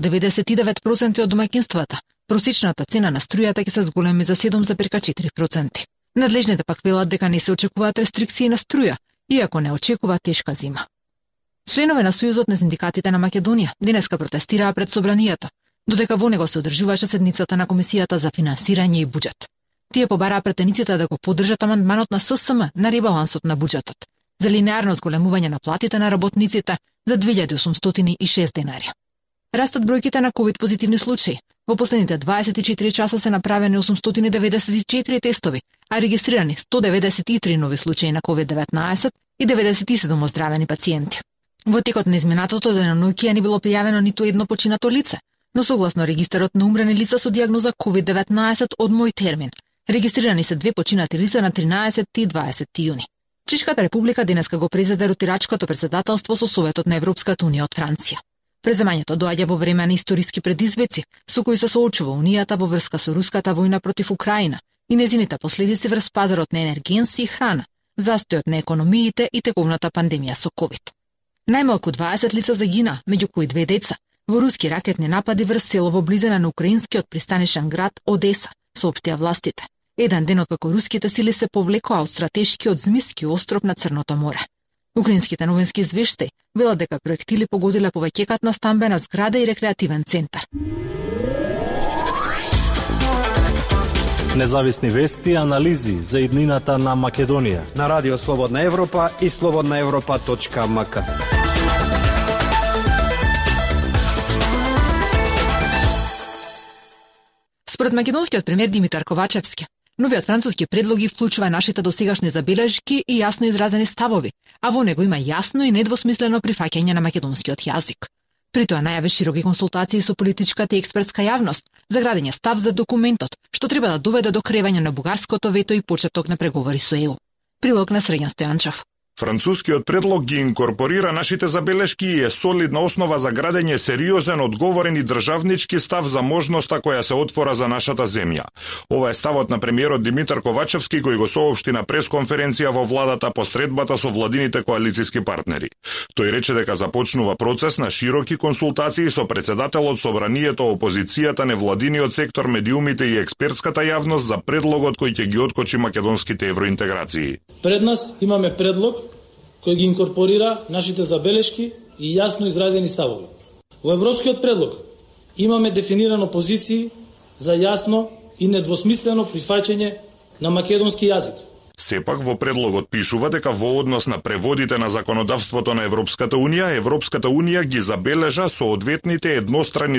99% од домаќинствата, просечната цена на струјата ќе се зголеми за 7,4%. Надлежните пак велат дека не се очекуваат рестрикции на струја, иако не очекува тешка зима. Членове на Сојузот на синдикатите на Македонија денеска протестираа пред собранието, додека во него се одржуваше седницата на Комисијата за финансирање и буџет. Тие побараа претениците да го поддржат амандманот на ССМ на ребалансот на буџетот за линеарно зголемување на платите на работниците за 2806 денари. Растат бројките на ковид позитивни случаи. Во последните 24 часа се направени 894 тестови, а регистрирани 193 нови случаи на COVID-19 и 97 оздравени пациенти. Во текот на изминатото деноноќие не било пријавено ниту едно починато лице, но согласно регистарот на умрени лица со дијагноза COVID-19 од мој термин, регистрирани се 2 починати лица на 13 и 20 јуни. Чешката република денеска го презеде ротирачкото председателство со Советот на Европската унија од Франција. Преземањето доаѓа во време на историски предизвици со кои се соочува Унијата во врска со руската војна против Украина и незините последици врз пазарот на енергенси и храна, застојот на економиите и тековната пандемија со ковид. Најмалку 20 лица загина, меѓу кои 2 деца, во руски ракетни напади врз село во близина на украинскиот пристанишен град Одеса, соопштија властите. Еден ден откако руските сили се повлекоа од стратешкиот Змиски остров на Црното море. Украинските новински извештаи велат дека проектили погодиле повеќекатна стамбена зграда и рекреативен центар. Независни вести и анализи за иднината на Македонија на Радио Слободна Европа и slobodnaevropa.mk. Според македонскиот премиер Димитар Ковачевски, новиот француски предлог ги вклучува нашите досегашни забелешки и јасно изразени ставови, а во него има јасно и недвосмислено прифаќање на македонскиот јазик. При тоа најави широки консултации со политичката и експертска јавност за градење став за документот, што треба да доведе до кревање на бугарското вето и почеток на преговори со ЕУ. Прилог на Срењан Стојанчев. Францускиот предлог ги инкорпорира нашите забелешки и е солидна основа за градење сериозен, одговорен и државнички став за можноста која се отвора за нашата земја. Ова е ставот на премиерот Димитар Ковачевски кој го соопшти на пресконференција во владата по средбата со владините коалициски партнери. Тој рече дека започнува процес на широки консултации со председателот, собранието, опозицијата, невладиниот сектор, медиумите и експертската јавност за предлогот кој ќе ги откочи македонските евроинтеграции. Пред нас имаме предлог кој ги инкорпорира нашите забелешки и јасно изразени ставови. Во европскиот предлог имаме дефинирано позиции за јасно и недвосмислено прифаќање на македонски јазик. Сепак во предлогот пишува дека во однос на преводите на законодавството на Европската унија ги забележа соодветните едностранни